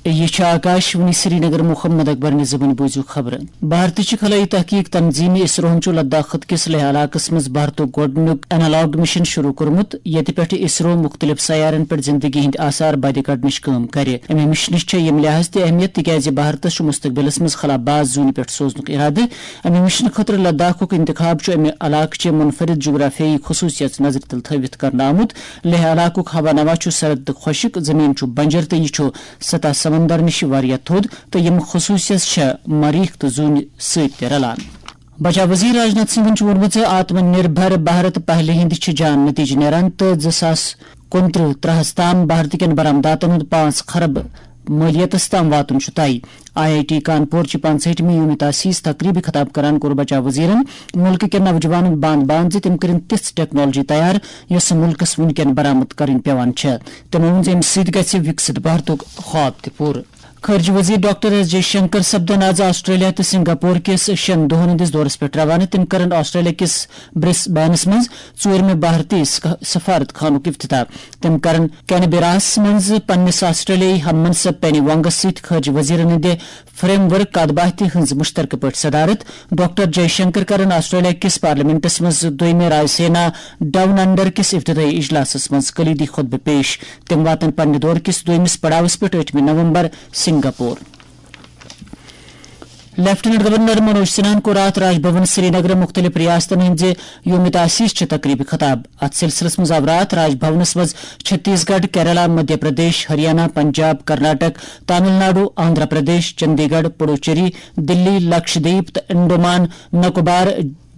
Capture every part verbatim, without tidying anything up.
یہ چھُ آکاش وانی سرینگر۔ محمد اکبر نظامن بوٗزِو خبرٕ۔ بھارتٕچ خلائی تحقیق تنظیٖم اسروہن چھُ لداخ خطہٕ کِس لیہ علاقس منٛز بھارتُک گۄڈٕنیُک اینالاگ مشن شروع کوٚرمُت، ییٚتہِ پٮ۪ٹھ اسرو مُختٔلِف سیارن پٮ۪ٹھ زندگی ہٕنٛدۍ آثار بدِ کڑنٕچ کٲم کرِ۔ امہِ مشنٕچ چھےٚ ییٚمہِ لحاظ تہِ اہمیت، تِکیازِ بھارتس چھُ مستقبلس منٛز خلا باز زوٗنہِ پٮ۪ٹھ سوزنُک ارادٕ۔ امہِ مشنہٕ خٲطرٕ لداخُک انتخاب چھُ امہِ علاقہٕ چہِ منفرد جغرافیائی خصوصیت نظرِ تل تھٲوِتھ کرنہٕ آمُت۔ لیہ علاقُک ہوا نوا چھُ سرد تہٕ خۄشک، زمین چھُ بنجر تہٕ یہِ چھُ سطح سمندر نِش واریاہ تھوٚد، تہٕ یِم خصوصیت چھےٚ مریخ تہٕ زوٗنہِ سۭتۍ تہِ رلان۔ بچاو وزیر راجناتھ سنگھن چھُ ووٚنمُت زِ آتم نربھر بھارت پہلہِ ہٕنٛدۍ چھِ جان نتیجہٕ نیران تہٕ زٕ ساس کُنترٕہ ترٛہس تام بھارت کٮ۪ن برآمداتن ہُنٛد پانٛژھ خرب مٲلیتس تام واتُن چھُ طے۔ آئی آئی ٹی کانپور چہِ پانٛژہٲٹھمہِ یوم تاسیس تقریبہِ خطاب کران کوٚر بچاو وزیرن مُلکہٕ کٮ۪ن نوجوانن باند باند زِ تِم کٔرِن تِژھ ٹیکنالوجی تیار، یۄسہٕ مُلکس وُنکٮ۪ن برآمد کرٕنۍ پٮ۪وان چھےٚ۔ تِمو ووٚن زِ امہِ سۭتۍ گژھِ وِکسِت بھارتُک خواب تہِ پوٗرٕ۔ خارجہ وزیر ڈاکٹر ایس جے شنکر سپدن آز آسٹریلیا تہٕ سنگاپور کِس شٮ۪ن دۄہن ہٕنٛدِس دورس پٮ۪ٹھ روانہٕ۔ تِم کرن آسٹریلیا کِس برسبینس منٛز ژوٗرمہِ بھارتی سک-، سفارت خانُک افتتاح۔ تِم کرن کینبیراہس منٛز پننِس آسٹریلیائی ہم منصب پینی وانگس سۭتۍ خارجہ وزیرن ہٕنٛدِ فریم ورک کتھ باتھِ ہٕنٛز مشترکہٕ پٲٹھۍ صدارت۔ ڈاکٹر جے شنکر کرن آسٹریلیا کِس پارلیمنٹس منٛز دویمہِ رائے سینا ڈاؤن انڈر کِس افتتاحی اجلاسس منٛز کلیدی خطبہٕ پیش۔ تِم واتن پننہِ دورٕ کِس دویمِس پڑاوس پٮ۪ٹھ ٲٹھمہِ نومبر سنگاپور۔ لیفٹیننٹ گورنر منوج سنہاہن کوٚر راتھ راج بھون سرینگر مُختٔلِف ریاستن ہٕنٛزِ یوم تاسیس چہِ تقریبہِ خطاب۔ اتھ سلسلس منٛز آو راتھ راج بھونس منٛز چھتیس گڑھ، کیرلا، مدھیہ پردیش، ہریانہ، پنجاب، کرناٹک، تامل ناڈو، آندھرا پردیش، چندی گڑھ، پڈوچیری، دلی، لکشدیپ تہٕ انڈومان نکوبار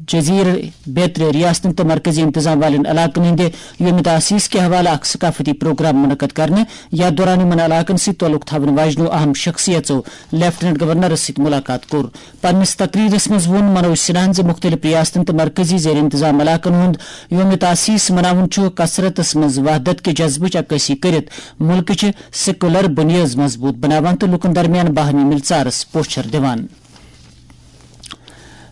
جزیرٕ بیترِ ریاستن تہٕ مرکزی انتظام والٮ۪ن علاقن ہٕنٛدِ یوم تاسیس کہِ حوالہٕ اکھ ثقافتی پروگرام منعقد کرنہٕ۔ یتھ دوران یِمن علاقن سۭتۍ تعلق تھاون واجنیو اہم شخصیژو لیفٹیننٹ گورنرس سۭتۍ ملاقات کوٚر۔ پننِس تقریرس منٛز ووٚن منوج سنہاہن زِ مُختٔلِف ریاستن تہٕ مرکزی زیر انتظام علاقن ہُنٛد یوم تاسیس مناوُن چھُ کثرتس منٛز وحدت کہِ جذبٕچ عکٲسی کٔرِتھ مُلکٕچہِ سیکولر بُنیٲد مضبوٗط بناوان تہٕ لوٗکن درمیان باہمی مِلژارس پوچھر دِوان۔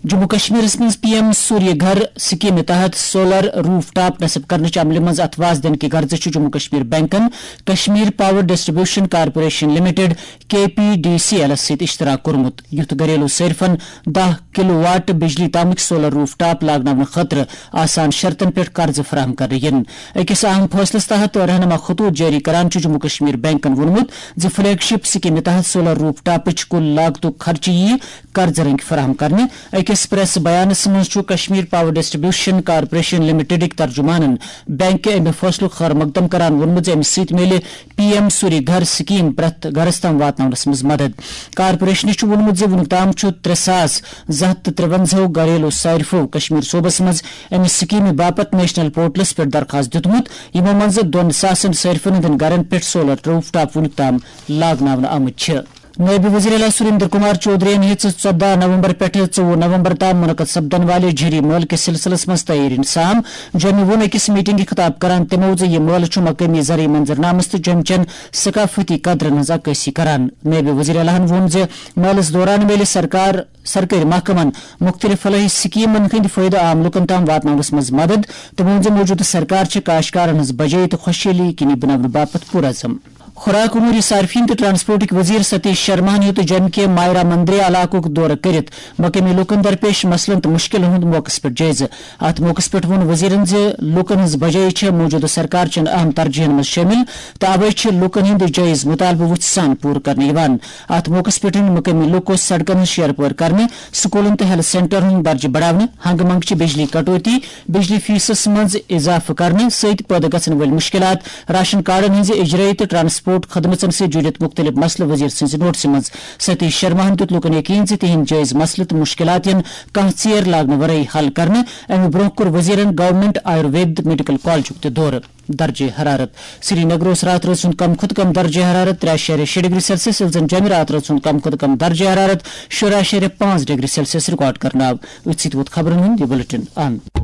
جموں کشمیرس منٛز پی ایم سوریہ گھر سکیمہِ تحت سولر روف ٹاپ نصب کرنٕچ عملہِ منٛز اتھواز دِنہٕ کہِ غرضہٕ چھُ جموں کشمیر بینکن Kashmir power distribution corporation limited, K P D C ایلس سۭتۍ اشتراک کوٚرمُت، یُتھ گھریلو صارفن دَہ کلو واٹ بجلی تامٕکۍ سولر روف ٹاپ لاگناونہٕ خٲطرٕ آسان شرطن پٮ۪ٹھ قرضہٕ فراہم کرنہٕ یِن۔ أکِس اہم فٲصلَس تحت رہنما خطوط جٲری کران چھُ جموں کشمیر بینکَن ووٚنمُت زِ فلیگ شپ سکیمہِ تحت سولر روف ٹاپٕچ کُل لاگتُک خرچہٕ یِیہِ قرضہٕ رٔنگۍ فراہم کرنہٕ۔ أکِس پریس بیانَس منٛز چھُ کشمیر پاور ڈسٹریبیوشن کارپوریشن لمیٹڈٕکۍ ترجمانَن بینک کہِ اَمہِ فٲصلُک خٲر مقدم کران ووٚنمُت زِ اَمہِ سۭتۍ میلہِ پی ایم سوری گھر سکیم پرٛٮ۪تھ گھرس تام واتناونس منٛز مدد۔ کارپوریشنہِ چھُ ووٚنمُت زِ وُنیُک تام چھُ ترٛےٚ ساس زٕ ہتھ تہٕ ترٛوَنزاہو گھریلو صارفو کشمیر صوبس منٛز اَمہِ سکیمہِ باپتھ نیشنل پورٹلس پٮ۪ٹھ درخواست دیُتمُت، یِمو منٛزٕ دۄن ساسن صارفن ہٕنٛدٮ۪ن گھرن پٮ۪ٹھ سولر روف ٹاپ وُنیُک تام لاگناونہٕ آمٕتۍ چھِ۔ نٲیِب وزیر اعلیٰ سریندر کمار چودھرین ہیٚژ ژۄدہ نومبر پٮ۪ٹھٕ ژوٚوُہ نومبر تام منعقد سپدن والہِ جھری مٲلہٕ کِس سلسلس منٛز تیٲرین سام۔ جوٚمہِ ووٚن أکِس میٹنگہِ خطاب کران تِمو زِ یہِ مٲلہٕ چھُ مقٲمی زرعی منظرنامس تہٕ جوٚمہِ چٮ۪ن ثقافتی قدرن ہٕنٛز عکٲسی کران۔ نٲیِب وزیر اعلیٰ ہَن ووٚن زِ مٲلَس دوران میلہِ سرکار، سرکٲرۍ محکمَن مُختٔلِف فلاحی سکیمَن ہٕنٛدۍ فٲیدٕ عام لوٗکَن تام واتناونَس منٛز مدد۔ تٔمۍ ووٚن زِ موٗجوٗدٕ سرکار چھِ کاشتکارَن ہٕنٛز بجٲیی تہٕ خۄشحٲلی یقینی بناونہٕ باپتھ پُرعزم۔ خوراک، امور صارفین تہٕ ٹرانسپورٹٕکۍ وزیر ستیش شرماہَن ہیوٚت جوٚمہِ کہِ مایرا مندرے علاقُک دورٕ کٔرِتھ مقٲمی لوٗکَن درپیش مسلن تہٕ مُشکِلن ہُنٛد موقعس پٮ۪ٹھ جٲیزٕ۔ اتھ موقعس پٮ۪ٹھ ووٚن وزیرن زِ لوٗکن ہٕنٛز بجٲیی چھےٚ موٗجوٗدٕ سرکار چٮ۪ن اہم ترجیحن منٛز شٲمِل تہٕ اوے چھِ لوٗکن ہٕنٛدۍ جٲیز مُطالبہٕ وُژھِ سان پوٗرٕ کرنہٕ یِوان۔ اتھ موقعس پٮ۪ٹھ أنۍ مُقٲمی لوٗکو سڑکن ہٕنٛز شیر پٲر کرنہٕ، سکوٗلن تہٕ ہیلتھ سینٹرن ہُنٛد درجہٕ بڑاونہٕ، ہنگہٕ منگہٕ چہِ بجلی کٹوتی، بجلی فیسس منٛز اضافہٕ کرنہٕ سۭتۍ پٲدٕ گژھن وٲلۍ مُشکِلات، راشن کارڈن ہٕنٛزِ اجرٲیی تہٕ ٹرانسپورٹ خدمژن سۭتۍ جُڑِتھ مُختٔلِف مسلہٕ وزیر سٕنٛزِ نوٹسہِ منٛز۔ ستیش شرماہن دیُت لوٗکن یقین زِ تِہنٛدۍ جٲیز مسلہٕ تہٕ مُشکِلات یِن کانٛہہ ژیر لاگنہٕ ورٲے حل کرنہٕ۔ امہِ برٛونٛہہ کوٚر وزیرن گورنمنٹ آیُروید میڈیکل کالجُک تہِ دورٕ۔ درجہ حرارت۔ سری نگر اوس راتھ رٲژ ہُنٛد کم کھۄتہٕ کم درجہ حرارت ترٛےٚ اَشاریہ شےٚ ڈگری سیلسیس، ییٚلہِ زن جوٚمہِ راتھ رٲژ ہُنٛد کم کھۄتہٕ کم درجہ حرارت شُراہ اَشاریہ پانٛژھ ڈگری سیلسیس ریکارڈ کرنہٕ آو۔ أتھۍ سۭتۍ ووت خبرن ہُنٛد یہِ بلیٹن اند۔